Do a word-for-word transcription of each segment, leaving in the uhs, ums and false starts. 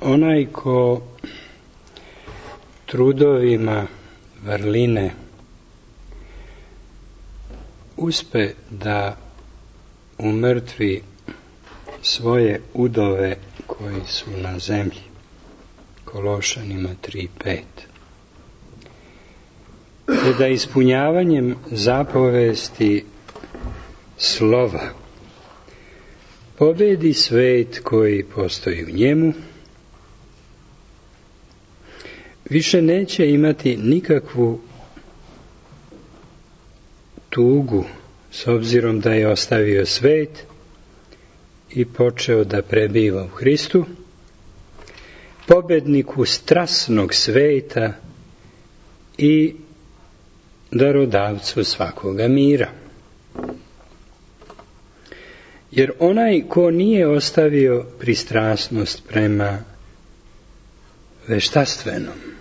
onaj ko trudovima vrline uspe da umrtvi svoje udove koji su na zemlji, Kološanima tri pet, te da ispunjavanjem zapovesti slova pobedi svet koji postoji u njemu, više neće imati nikakvu tugu s obzirom da je ostavio svet i počeo da prebiva u Hristu, pobedniku strasnog sveta i darodavcu svakoga mira. Jer onaj ko nije ostavio pristrasnost prema veštaštvenom,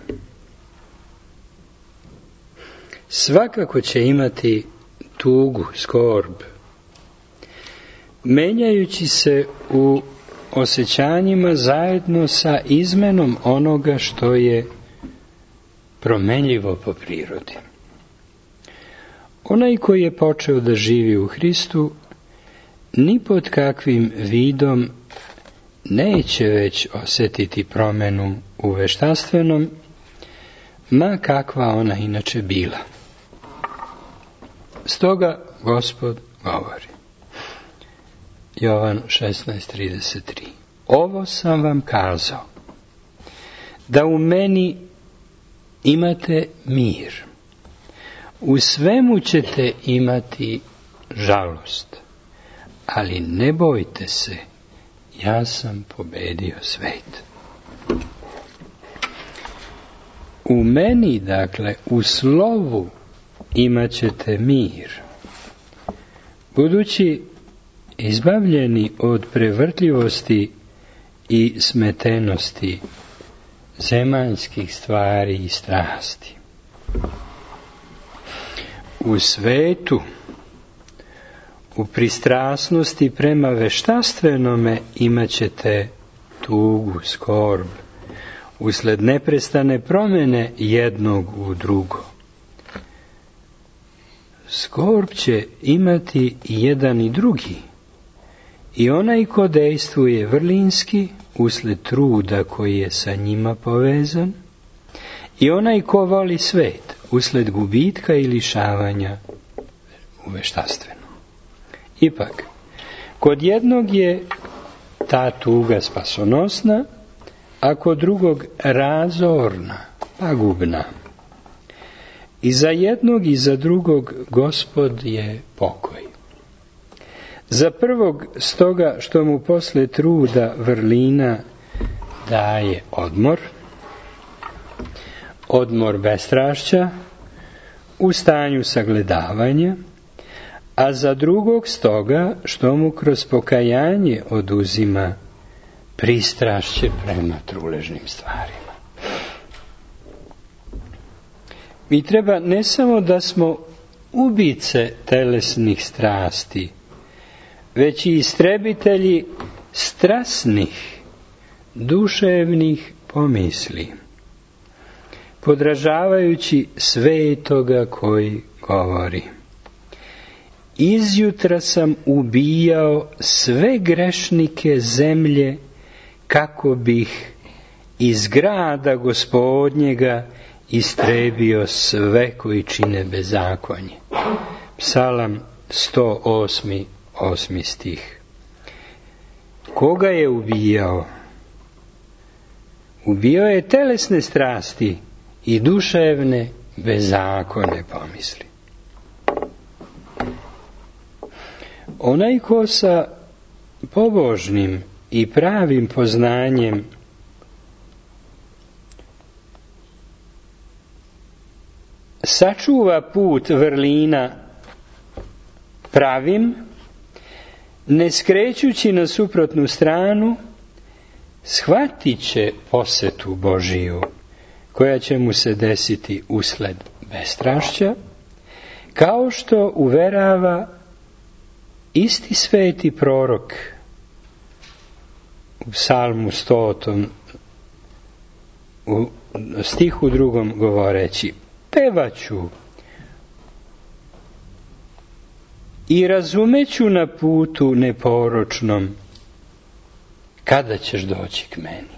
svakako će imati tugu, skorb, menjajući se u osjećanjima zajedno sa izmenom onoga što je promenljivo po prirodi. Onaj koji je počeo da živi u Hristu, ni pod kakvim vidom neće već osjetiti promenu u veštaštvenom, ma kakva ona inače bila. Stoga Gospod govori. Jovan šesnaest trideset tri. Ovo sam vam kazao, da u meni imate mir. U svemu ćete imati žalost, ali ne bojte se, ja sam pobedio svet. U meni, dakle, u slovu imat ćete mir. Budući izbavljeni od prevrtljivosti i smetenosti zemaljskih stvari i strasti. U svetu, u pristrasnosti prema veštaštvenome imat ćete tugu, skorb, usled neprestane promjene jednog u drugo. Skorb će imati i jedan i drugi, i onaj ko dejstvuje vrlinski usled truda koji je sa njima povezan, i onaj ko voli svet usled gubitka i lišavanja u veštaštvenom. Ipak, kod jednog je ta tuga spasonosna, a kod drugog razorna, pagubna. I za jednog i za drugog Gospod je pokoj. Za prvog stoga što mu posle truda vrlina daje odmor, odmor bestrašća u stanju sagledavanja, a za drugog stoga što mu kroz pokajanje oduzima pristrašće prema truležnim stvarima. Mi treba ne samo da smo ubice telesnih strasti, već i istrebitelji strasnih, duševnih pomisli, podražavajući svetoga koji govori. Izjutra sam ubijao sve grešnike zemlje, kako bih iz grada Gospodnjega istrebio sve koji čine bezakonje. Psalam sto osmi, osmi stih. Koga je ubijao? Ubijao je telesne strasti i duševne bezakone pomisli. Onaj ko sa pobožnim i pravim poznanjem sačuva put vrlina pravim, ne skrećući na suprotnu stranu, shvatit će posetu Božiju, koja će mu se desiti usled bestrašća, kao što uverava isti sveti prorok u psalmu stotom u stihu drugom govoreći: pevaću i razumeću na putu neporočnom, kada ćeš doći k meni.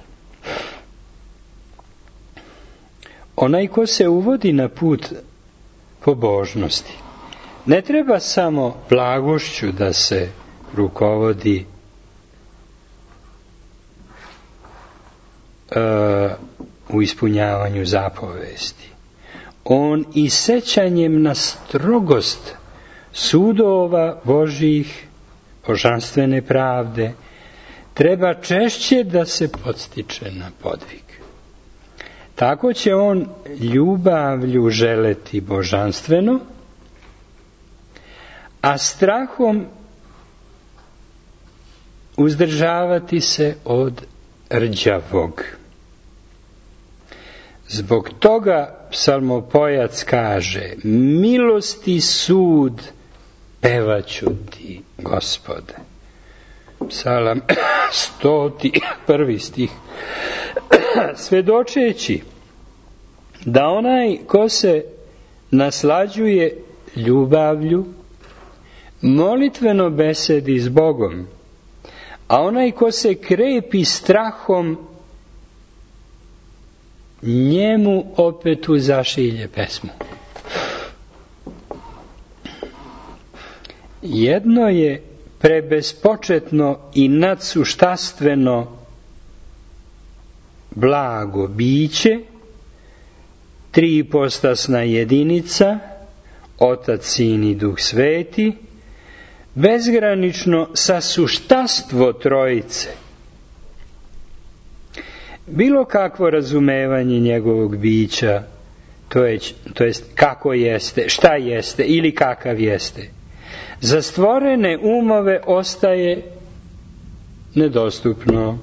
Onaj ko se uvodi na put pobožnosti, ne treba samo blagošću da se rukovodi uh, u ispunjavanju zapovesti. On i sećanjem na strogost sudova Božjih, božanstvene pravde, treba češće da se podstiče na podvig. Tako će on ljubavlju želeti božanstveno, a strahom uzdržavati se od rđavog. Zbog toga psalmopojac kaže: milosti sud pevaću ti, Gospode. Psalam stoti prvi stih. Svedočeći da onaj ko se naslađuje ljubavlju, molitveno besedi s Bogom, a onaj ko se krepi strahom, njemu opet uzašilje pesmu. Jedno je prebespočetno i nadsuštastveno blago biće, tripostasna jedinica, Otac, Sin i Duh Sveti, bezgranično sasuštastvo Trojice. Bilo kakvo razumevanje njegovog bića, to je, to jest kako jeste, šta jeste ili kakav jeste, za stvorene umove ostaje nedostupno.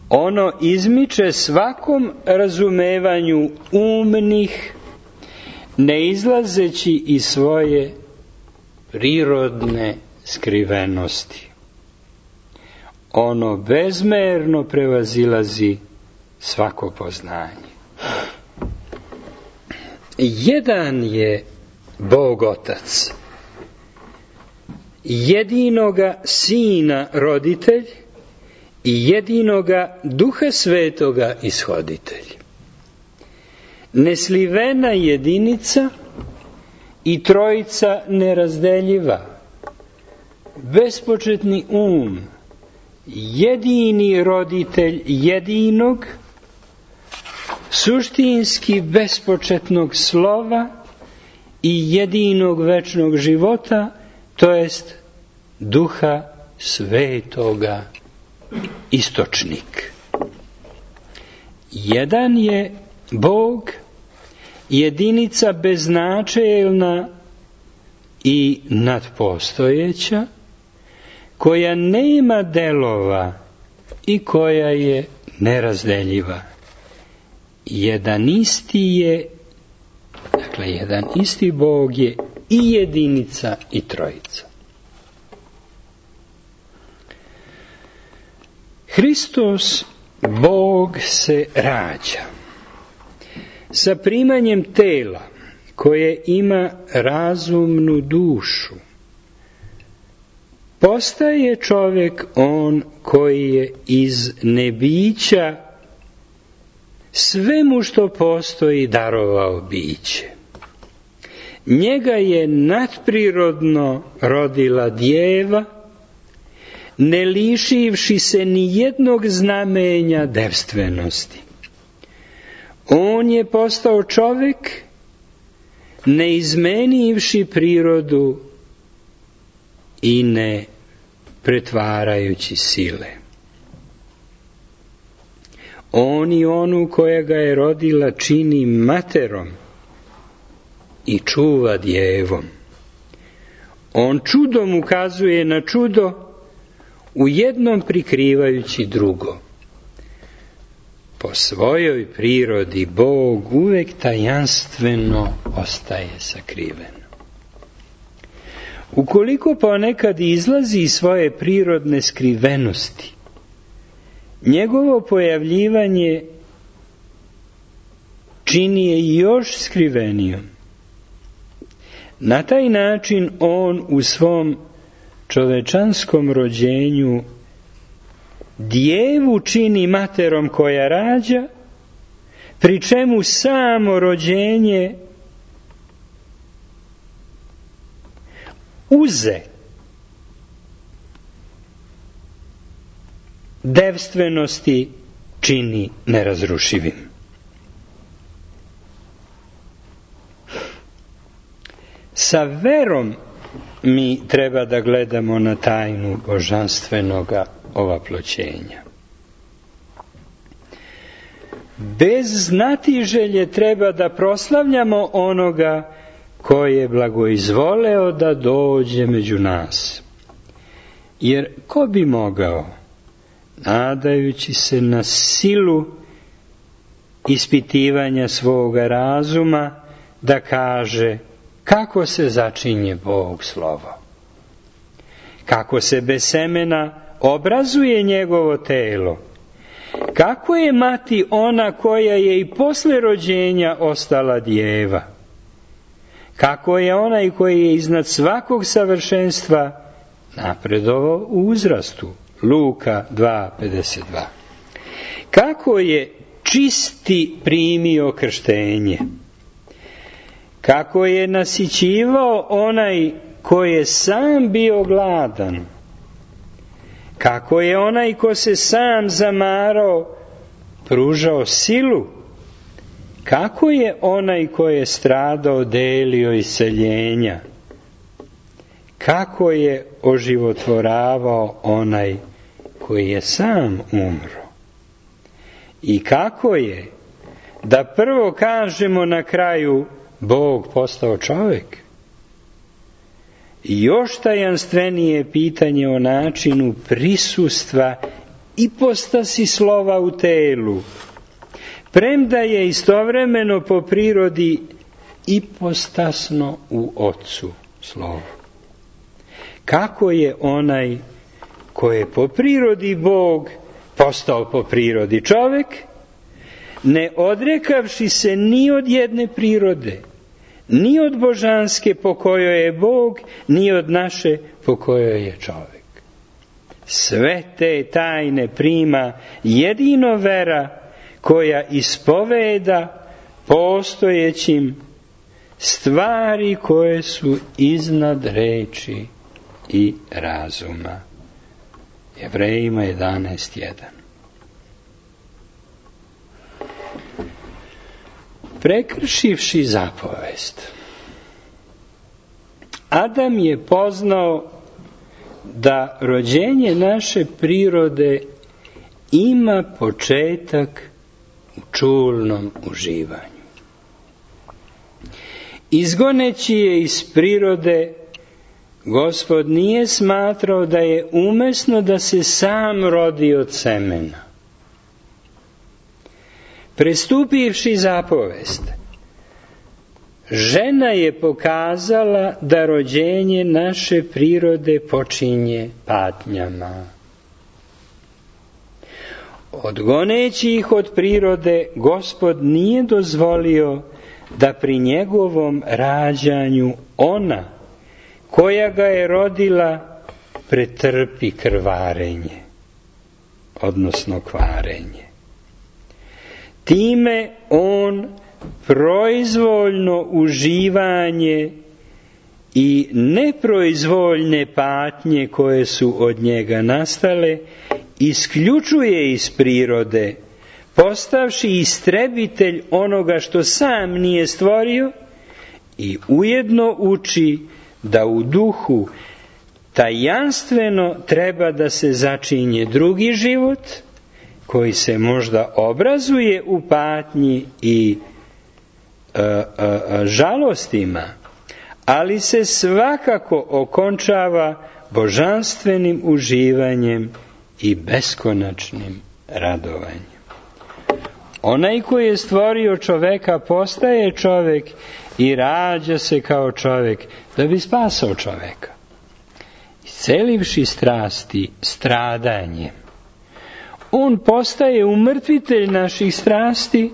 Ono izmiče svakom razumevanju umnih, ne izlazeći iz svoje prirodne skrivenosti. Ono bezmerno prevazilazi svako poznanje. Jedan je Bog Otac, jedinoga Sina roditelj i jedinoga Duha Svetoga ishoditelj. Neslivena jedinica i Trojica nerazdeljiva, bespočetni um, jedini roditelj jedinog, suštinski bespočetnog slova i jedinog večnog života, to jest Duha Svetoga, istočnik. Jedan je Bog, jedinica beznačajna i nadpostojeća, koja nema delova i koja je nerazdeljiva. Jedan isti je, dakle, jedan isti Bog je i jedinica i Trojica. Hristos, Bog, se rađa sa primanjem tela koje ima razumnu dušu. Postaje čovjek on koji je iz nebića svemu što postoji darovao biće. Njega je nadprirodno rodila djeva, ne lišivši se ni jednog znamenja devstvenosti. On je postao čovjek, ne izmenivši prirodu i ne pretvarajući sile. On i onu koja ga je rodila čini materom i čuva djevom. On čudom ukazuje na čudo, u jednom prikrivajući drugo. Po svojoj prirodi Bog uvek tajanstveno ostaje sakriven. Ukoliko ponekad izlazi iz svoje prirodne skrivenosti, njegovo pojavljivanje čini je još skrivenijom. Na taj način on u svom čovečanskom rođenju djevu čini materom koja rađa, pri čemu samo rođenje uze devstvenosti čini nerazrušivim. Sa verom mi treba da gledamo na tajnu božanstvenoga ovaploćenja. Bez znatiželje treba da proslavljamo onoga koji je blagoizvoleo da dođe među nas. Jer ko bi mogao, nadajući se na silu ispitivanja svoga razuma, da kaže kako se začinje Bog slovo, kako se bez semena obrazuje njegovo telo, kako je mati ona koja je i posle rođenja ostala djeva, kako je onaj koji je iznad svakog savršenstva napredovao u uzrastu. Luka dva pedeset dva. Kako je čisti primio krštenje, kako je nasićivao onaj koji je sam bio gladan, kako je onaj ko se sam zamarao pružao silu, kako je onaj ko je stradao delio iseljenja, kako je oživotvoravao onaj koji je sam umro. I kako je, da prvo kažemo na kraju, Bog postao čovjek. I još tajanstvenije pitanje o načinu prisustva ipostasi slova u telu, premda je istovremeno po prirodi ipostasno u Otcu slovo. Kako je onaj koji je po prirodi Bog postao po prirodi čovjek, ne odrekavši se ni od jedne prirode, ni od božanske po kojoj je Bog, ni od naše po kojoj je čovjek. Sve te tajne prima jedino vera koja ispoveda postojećim stvari koje su iznad reči i razuma. Jevrejima jedanaest jedan. Prekršivši zapovest, Adam je poznao da rođenje naše prirode ima početak u čulnom uživanju. Izgoneći je iz prirode, Gospod nije smatrao da je umesno da se sam rodi od semena. Prestupivši zapovest, žena je pokazala da rođenje naše prirode počinje patnjama. Odgoneći ih od prirode, Gospod nije dozvolio da pri njegovom rađanju ona koja ga je rodila pretrpi krvarenje, odnosno kvarenje. Time on proizvoljno uživanje i neproizvoljne patnje koje su od njega nastale isključuje iz prirode, postavši istrebitelj onoga što sam nije stvorio, i ujedno uči da u duhu tajanstveno treba da se začinje drugi život, koji se možda obrazuje u patnji i e, e, žalostima, ali se svakako okončava božanstvenim uživanjem i beskonačnim radovanjem. Onaj koji je stvorio čoveka postaje čovek i rađa se kao čovek da bi spasao čoveka. Iscelivši strasti stradanjem, on postaje umrtvitelj naših strasti,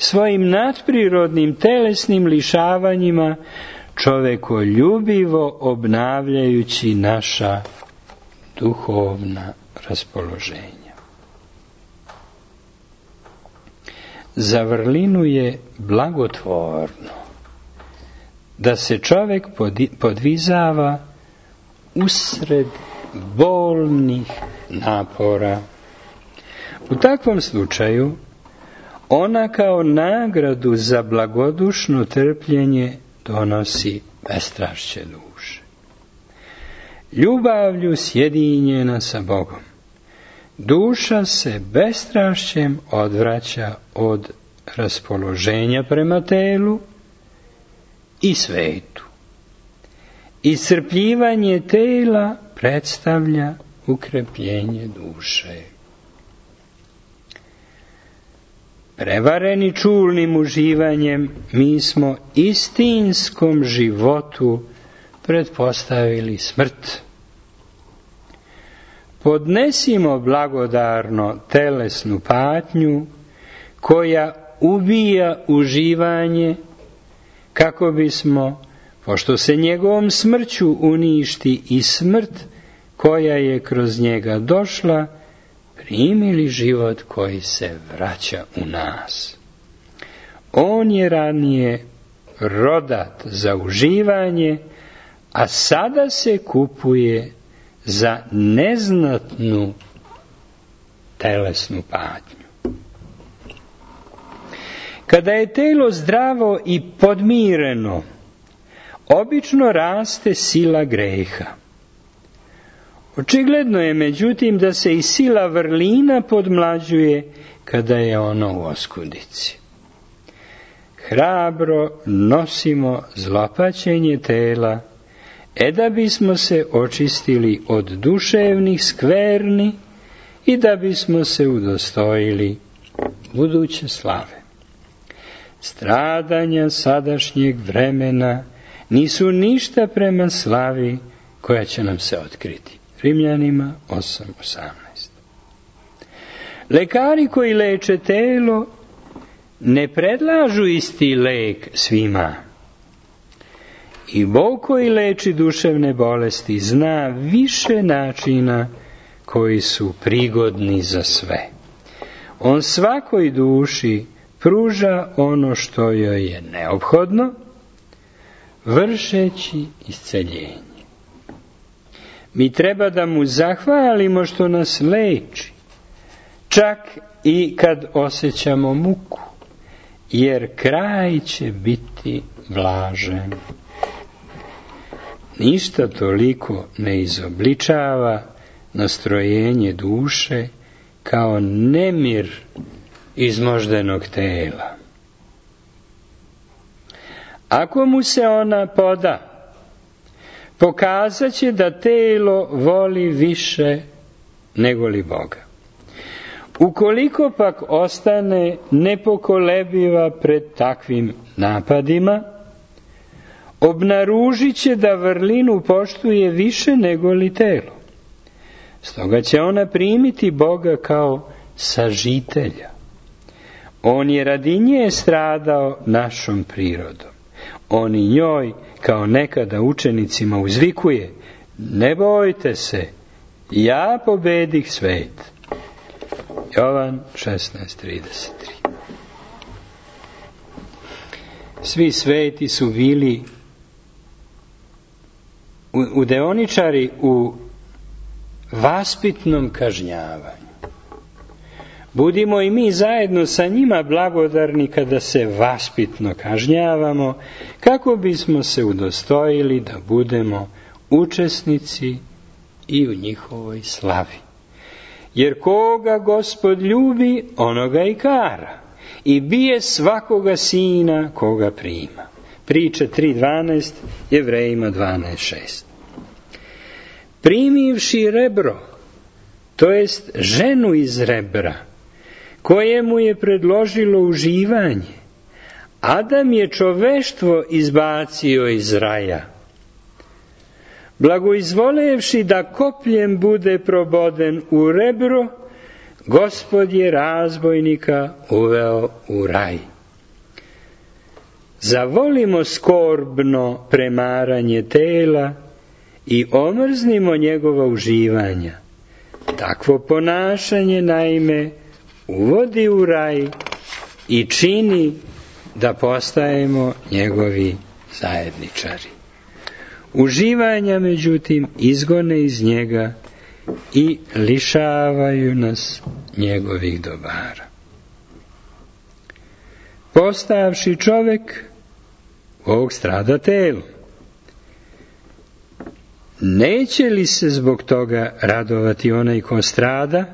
svojim nadprirodnim telesnim lišavanjima čovekoljubivo obnavljajući naša duhovna raspoloženja. Za vrlinu je blagotvorno da se čovek podvizava usred bolnih napora. U takvom slučaju ona kao nagradu za blagodušno trpljenje donosi bestrašće duše. Ljubavlju sjedinjena sa Bogom, duša se bestrašćem odvraća od raspoloženja prema telu i svetu. Iscrpljivanje tela predstavlja ukrepljenje duše. Prevareni čulnim uživanjem, mi smo istinskom životu pretpostavili smrt. Podnesimo blagodarno telesnu patnju koja ubija uživanje, kako bismo, pošto se njegovom smrću uništi i smrt koja je kroz njega došla, primili život koji se vraća u nas. On je ranije rodat za uživanje, a sada se kupuje za neznatnu telesnu patnju. Kada je telo zdravo i podmireno, obično raste sila greha. Očigledno je, međutim, da se i sila vrlina podmlađuje kada je ono u oskudici. Hrabro nosimo zlopaćenje tela, e da bismo se očistili od duševnih skverni i da bismo se udostojili buduće slave. Stradanja sadašnjeg vremena nisu ništa prema slavi koja će nam se otkriti. Rimljanima osam osamnaest. Lekari koji leče telo ne predlažu isti lek svima. I Bog koji leči duševne bolesti zna više načina koji su prigodni za sve. On svakoj duši pruža ono što joj je neophodno, vršeći isceljenje. Mi treba da mu zahvalimo što nas leči, čak i kad osjećamo muku, jer kraj će biti blažen. Ništa toliko ne izobličava nastrojenje duše kao nemir izmoždenog tela. Ako mu se ona poda, pokazat će da telo voli više nego li Boga. Ukoliko pak ostane nepokolebiva pred takvim napadima, obnaružit će da vrlinu poštuje više nego li telo. Stoga će ona primiti Boga kao sažitelja. On je radi nje stradao našom prirodom. On i njoj, kao nekada učenicima, uzvikuje: ne bojte se, ja pobedih svet. Jovan šesnaest trideset tri. Svi sveti su bili udeoničari u vaspitnom kažnjavanju. Budimo i mi zajedno sa njima blagodarni kada se vaspitno kažnjavamo, kako bismo se udostojili da budemo učesnici i u njihovoj slavi. Jer koga Gospod ljubi, onoga i kara, i bije svakoga sina koga prima. Priče tri dvanaest, Jevrejima dvanaest šest. Primivši rebro, to jest ženu iz rebra, koje mu je predložilo uživanje, Adam je čoveštvo izbacio iz raja. Blagoizvolevši da kopljem bude proboden u rebro, Gospod je razbojnika uveo u raj. zavolimo skorbno premaranje tela i omrznimo njegova uživanja. Takvo ponašanje, naime, uvodi u raj i čini da postajemo njegovi zajedničari. Uživanja, međutim, izgone iz njega i lišavaju nas njegovih dobara. Postavši čovek, Bog strada telo. Neće li se zbog toga radovati onaj ko strada,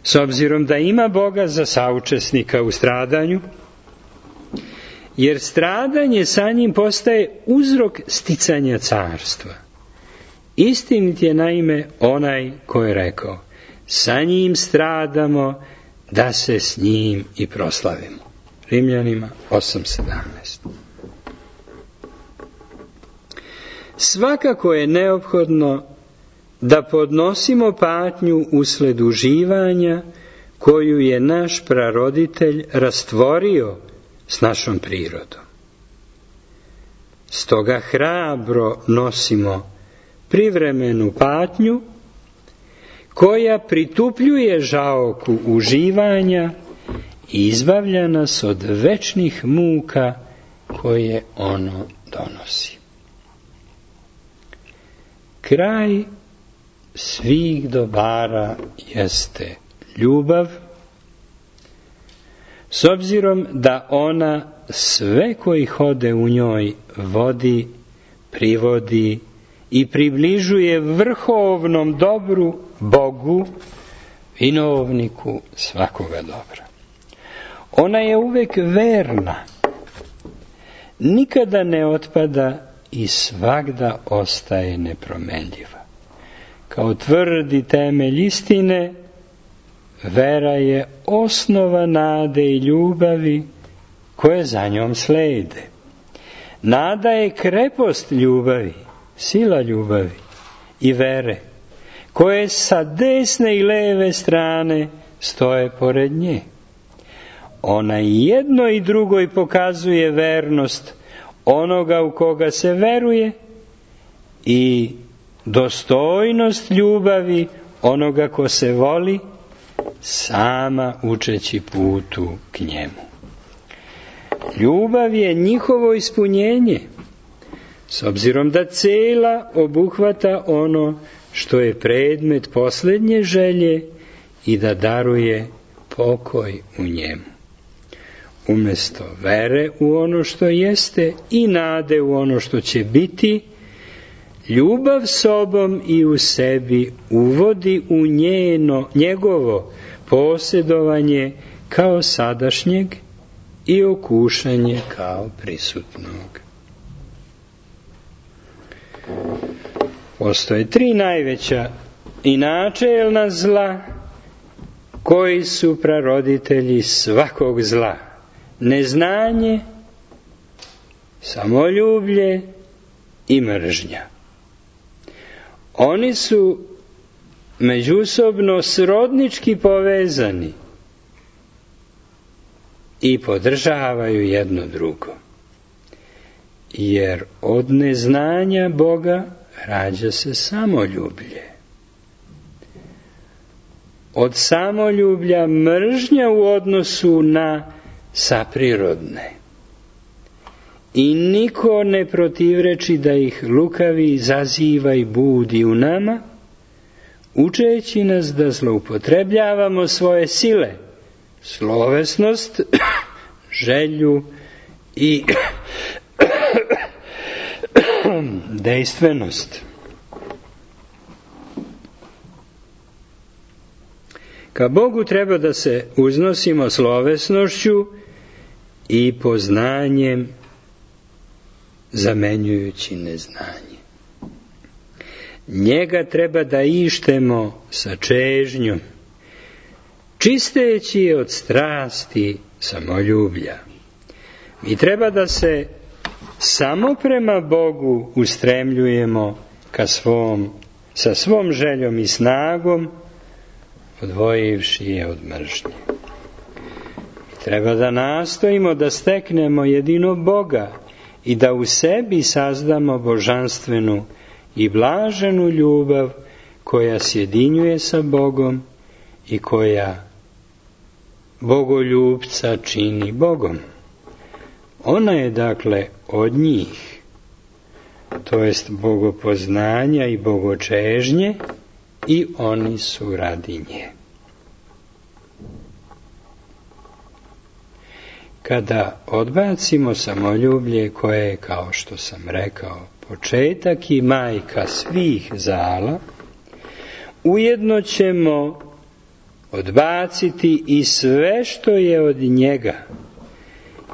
s obzirom da ima Boga za saučesnika u stradanju? Jer stradanje sa njim postaje uzrok sticanja carstva. Istinit je naime onaj ko je rekao, sa njim stradamo da se s njim i proslavimo. Rimljanima osam sedamnaest. Svakako je neophodno da podnosimo patnju usled uživanja koju je naš praroditelj rastvorio s našom prirodom. Stoga hrabro nosimo privremenu patnju koja pritupljuje žaoku uživanja i izbavlja nas od večnih muka koje ono donosi. Kraj svih dobara jeste ljubav, s obzirom da ona sve koji hode u njoj vodi, privodi i približuje vrhovnom dobru Bogu, vinovniku svakoga dobra. Ona je uvek verna, nikada ne otpada i svagda ostaje nepromenljiva. Kao tvrdi temelj istine, vera je osnova nade i ljubavi koje za njom slede. Nada je krepost ljubavi, sila ljubavi i vere, koje sa desne i leve strane stoje pored nje. Ona i jedno i drugoj pokazuje vernost onoga u koga se veruje i dostojnost ljubavi onoga ko se voli, sama učeći putu k njemu. Ljubav je njihovo ispunjenje, s obzirom da cela obuhvata ono što je predmet posljednje želje i da daruje pokoj u njemu. Umjesto vere u ono što jeste i nade u ono što će biti, ljubav sobom i u sebi uvodi u njeno, njegovo posjedovanje kao sadašnjeg i okušanje kao prisutnog. Postoje tri najveća i načelna zla koji su praroditelji svakog zla. Neznanje, samoljublje i mržnja. Oni su međusobno srodnički povezani i podržavaju jedno drugo. Jer od neznanja Boga rađa se samoljublje. Od samoljublja mržnja u odnosu na saprirodne. I niko ne protivreči da ih lukavi izaziva i budi u nama, učeći nas da zloupotrebljavamo svoje sile, slovesnost, želju i dejstvenost. Ka Bogu treba da se uznosimo slovesnošću i poznanjem zamenjujući neznanje. Njega treba da ištemo sa čežnjom, čisteći je od strasti samoljublja. Mi treba da se samo prema Bogu ustremljujemo ka svom, sa svom željom i snagom, odvojivši je od mržnje. Treba da nastojimo da steknemo jedinog Boga i da u sebi sazdamo božanstvenu i blaženu ljubav koja sjedinjuje sa Bogom i koja bogoljubca čini Bogom. Ona je dakle od njih, to jest bogopoznanja i bogočežnje, i oni su radi nje. Kada odbacimo samoljublje koje je, kao što sam rekao, početak i majka svih zala, ujedno ćemo odbaciti i sve što je od njega,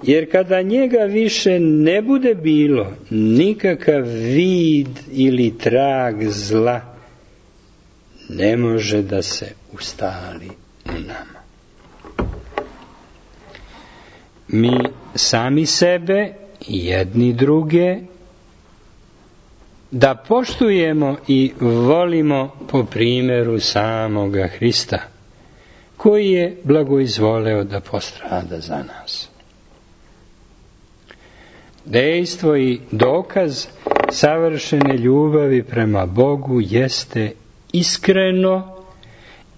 jer kada njega više ne bude bilo, nikakav vid ili trag zla ne može da se ustali u nama. Mi sami sebe i jedni druge da poštujemo i volimo po primjeru samoga Hrista, koji je blagoizvoleo da postrada za nas. Dejstvo i dokaz savršene ljubavi prema Bogu jeste iskreno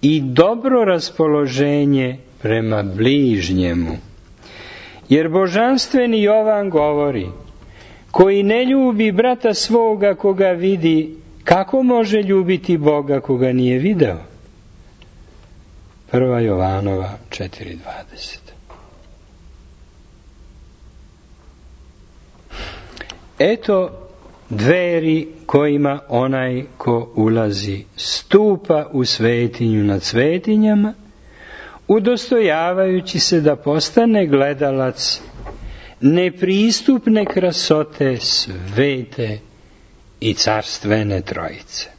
i dobro raspoloženje prema bližnjemu. Jer božanstveni Jovan govori: koji ne ljubi brata svoga koga vidi, kako može ljubiti Boga koga nije video? Prva Jovanova četiri dvadeset. Eto dveri kojima onaj ko ulazi stupa u svetinju nad svetinjama, udostojavajući se da postane gledalac nepristupne krasote svete i carstvene trojice.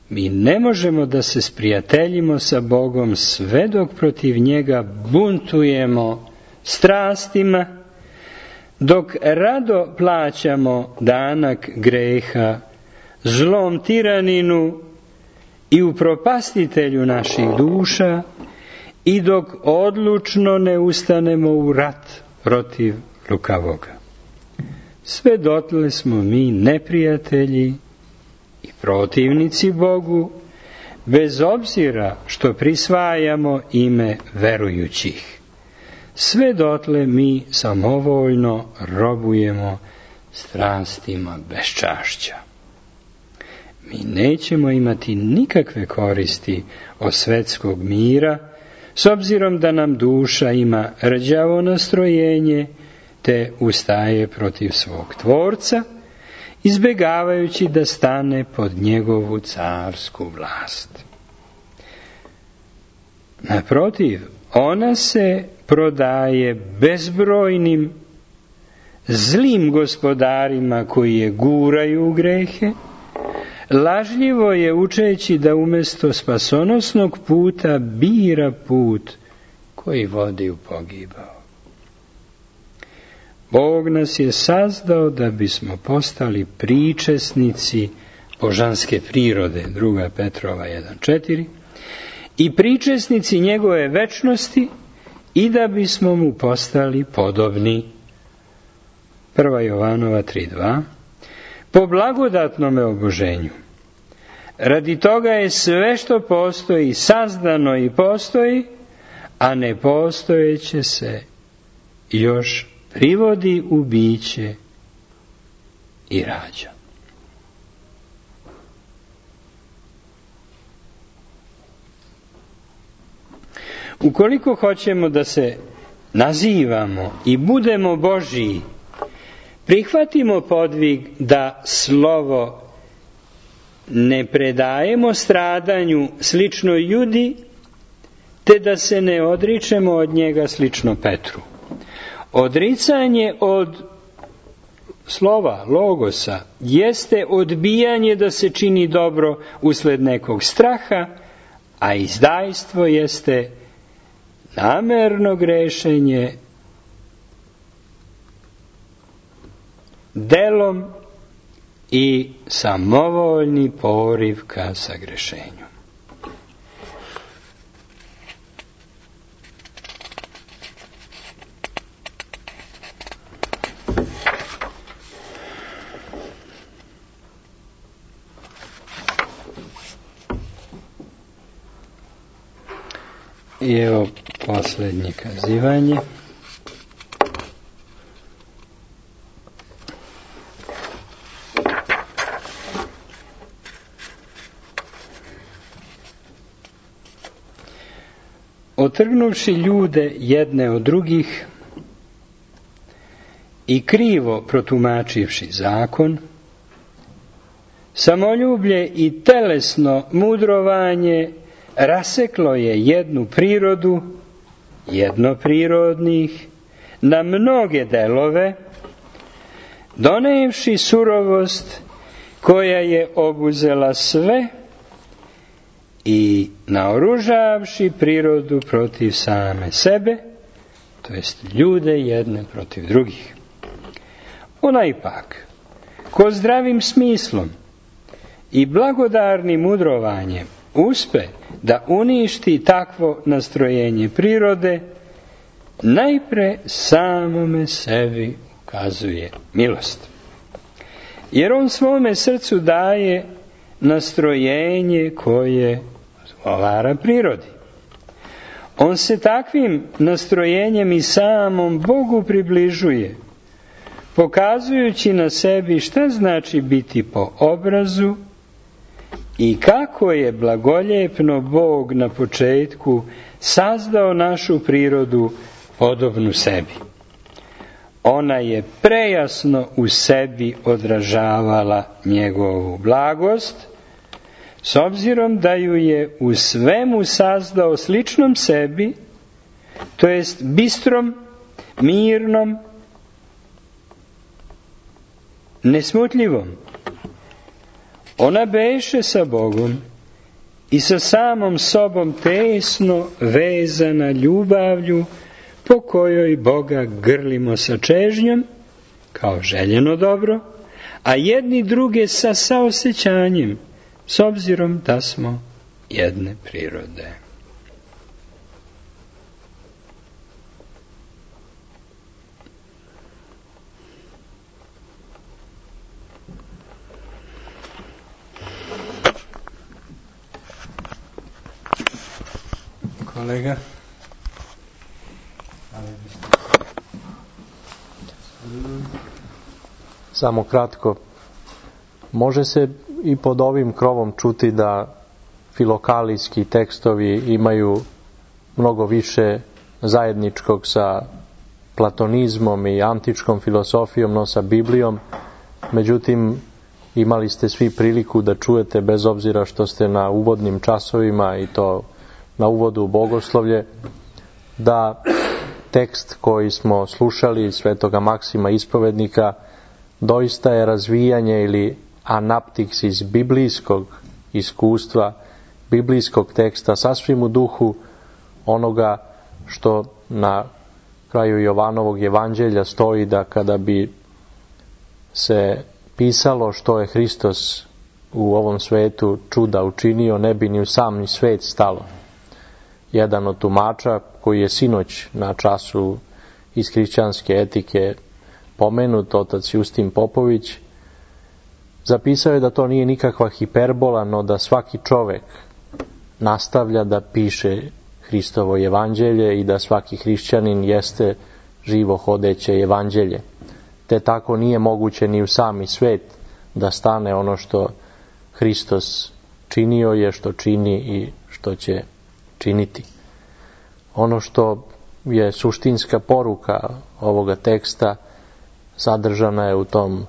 Mi ne možemo da se sprijateljimo sa Bogom sve dok protiv njega buntujemo strastima, dok rado plaćamo danak greha zlom tiraninu i upropastitelju naših duša, i dok odlučno ne ustanemo u rat protiv lukavoga. Sve dotle smo mi neprijatelji i protivnici Bogu, bez obzira što prisvajamo ime verujućih. Sve dotle mi samovoljno robujemo strastima beščašća. Mi nećemo imati nikakve koristi od svetskog mira, s obzirom da nam duša ima rđavo nastrojenje, te ustaje protiv svog Tvorca, izbjegavajući da stane pod njegovu carsku vlast. Naprotiv, ona se prodaje bezbrojnim zlim gospodarima koji je guraju u grehe, lažljivo je učeći da umjesto spasonosnog puta bira put koji vodi u pogibao. Bog nas je sazdao da bismo postali pričesnici božanske prirode, druga Petrova jedan četiri, i pričesnici njegove večnosti, i da bismo mu postali podobni, prva Jovanova tri dva, po blagodatnome oboženju. Radi toga je sve što postoji sazdano i postoji, a nepostojeće se još privodi u biće i rađa. Ukoliko hoćemo da se nazivamo i budemo Božiji, prihvatimo podvig da slovo ne predajemo stradanju slično Judi, te da se ne odričemo od njega slično Petru. Odricanje od slova, logosa, jeste odbijanje da se čini dobro usled nekog straha, a izdajstvo jeste namerno grešenje delom i samovoljni poriv ka sagrešenju. I evo posljednje kazivanje. Otrgnuvši ljude jedne od drugih i krivo protumačivši zakon, samoljublje i telesno mudrovanje raseklo je jednu prirodu, jednoprirodnih, na mnoge delove, donevši surovost koja je obuzela sve i naoružavši prirodu protiv same sebe, to jest ljude jedne protiv drugih. Ona ipak, ko zdravim smislom i blagodarnim mudrovanjem uspe da uništi takvo nastrojenje prirode, najpre samome sebi ukazuje milost. Jer on svome srcu daje nastrojenje koje odgovara prirodi. On se takvim nastrojenjem i samom Bogu približuje, pokazujući na sebi šta znači biti po obrazu i kako je blagoljepno Bog na početku sazdao našu prirodu podobnu sebi. Ona je prejasno u sebi odražavala njegovu blagost, s obzirom da ju je u svemu sazdao sličnom sebi, to jest bistrom, mirnom, nesmutljivom. Ona beše sa Bogom i sa samom sobom tesno vezana ljubavlju, po kojoj Boga grlimo sa čežnjom, kao željeno dobro, a jedni druge sa saosjećanjem, s obzirom da smo jedne prirode. Kolega? Samo kratko. Može se i pod ovim krovom čuti da filokalijski tekstovi imaju mnogo više zajedničkog sa platonizmom i antičkom filosofijom, no sa Biblijom. Međutim, imali ste svi priliku da čujete, bez obzira što ste na uvodnim časovima i to na uvodu u bogoslovlje, da tekst koji smo slušali Svetoga Maksima Ispovednika doista je razvijanje ili anaptiks iz biblijskog iskustva, biblijskog teksta, sasvim u duhu onoga što na kraju Jovanovog evanđelja stoji, da kada bi se pisalo što je Hristos u ovom svetu čuda učinio, ne bi ni u sam ni svet stalo. Jedan od tumača, koji je sinoć na času iz hrišćanske etike pomenut, otac Justin Popović, zapisao je da to nije nikakva hiperbola, no da svaki čovek nastavlja da piše Hristovo evanđelje i da svaki hrišćanin jeste živo hodeće evanđelje. Te tako nije moguće ni u sami svet da stane ono što Hristos činio je, što čini i što će činiti. Ono što je suštinska poruka ovoga teksta sadržana je u tom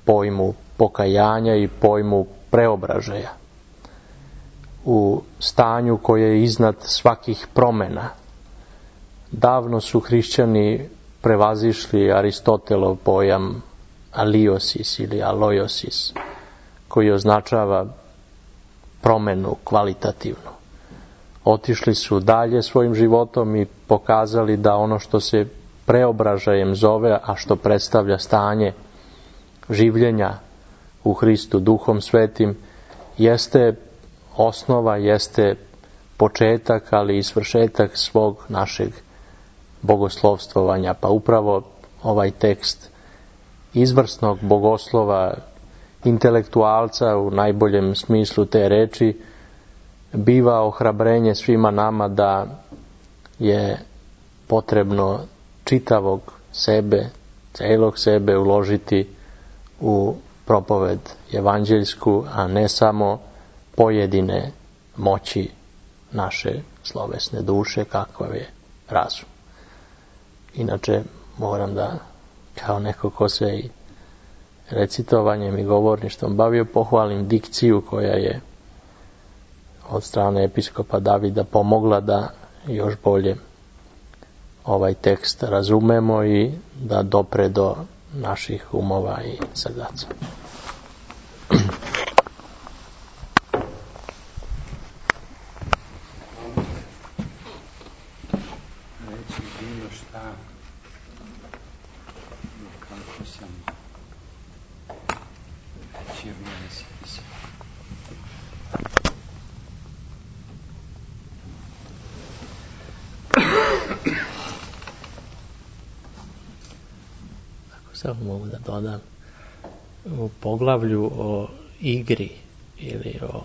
pojmu pokajanja i pojmu preobražaja. U stanju koje je iznad svakih promena. Davno su hrišćani prevazišli Aristotelov pojam aliosis ili aloiosis, koji označava promenu kvalitativnu. Otišli su dalje svojim životom i pokazali da ono što se preobražajem zove, a što predstavlja stanje življenja u Hristu Duhom Svetim, jeste osnova, jeste početak, ali i svršetak svog našeg bogoslovstvovanja. Pa upravo ovaj tekst izvrsnog bogoslova, intelektualca u najboljem smislu te reči, biva ohrabrenje svima nama da je potrebno čitavog sebe, celog sebe uložiti u propoved evanđeljsku, a ne samo pojedine moći naše slovesne duše, kakav je razum. Inače, moram da, kao neko ko se i recitovanjem i govorništvom bavio, pohvalim dikciju koja je od strane episkopa Davida pomogla da još bolje ovaj tekst razumemo i da dopre do naših umova i srdaca. Reći bilo šta, kako sam reći o mene se pisao. Samo mogu da dodam, u poglavlju o igri ili o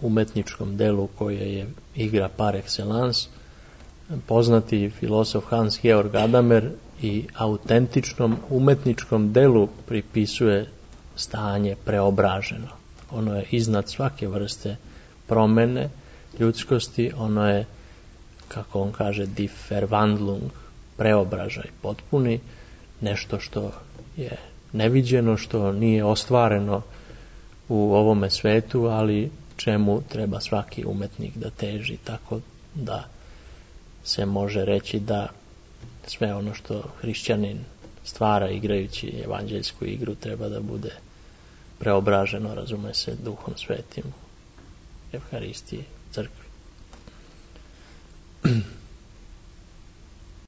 umetničkom delu koje je igra par excellence, poznati filosof Hans Georg Gadamer i autentičnom umetničkom delu pripisuje stanje preobraženo. Ono je iznad svake vrste promene ljudskosti, ono je, kako on kaže, die Verwandlung, preobražaj potpuni, nešto što je neviđeno, što nije ostvareno u ovome svetu, ali čemu treba svaki umetnik da teži, tako da se može reći da sve ono što hrišćanin stvara igrajući evanđeljsku igru treba da bude preobraženo, razume se, Duhom Svetim, Evharistiji, crkvi.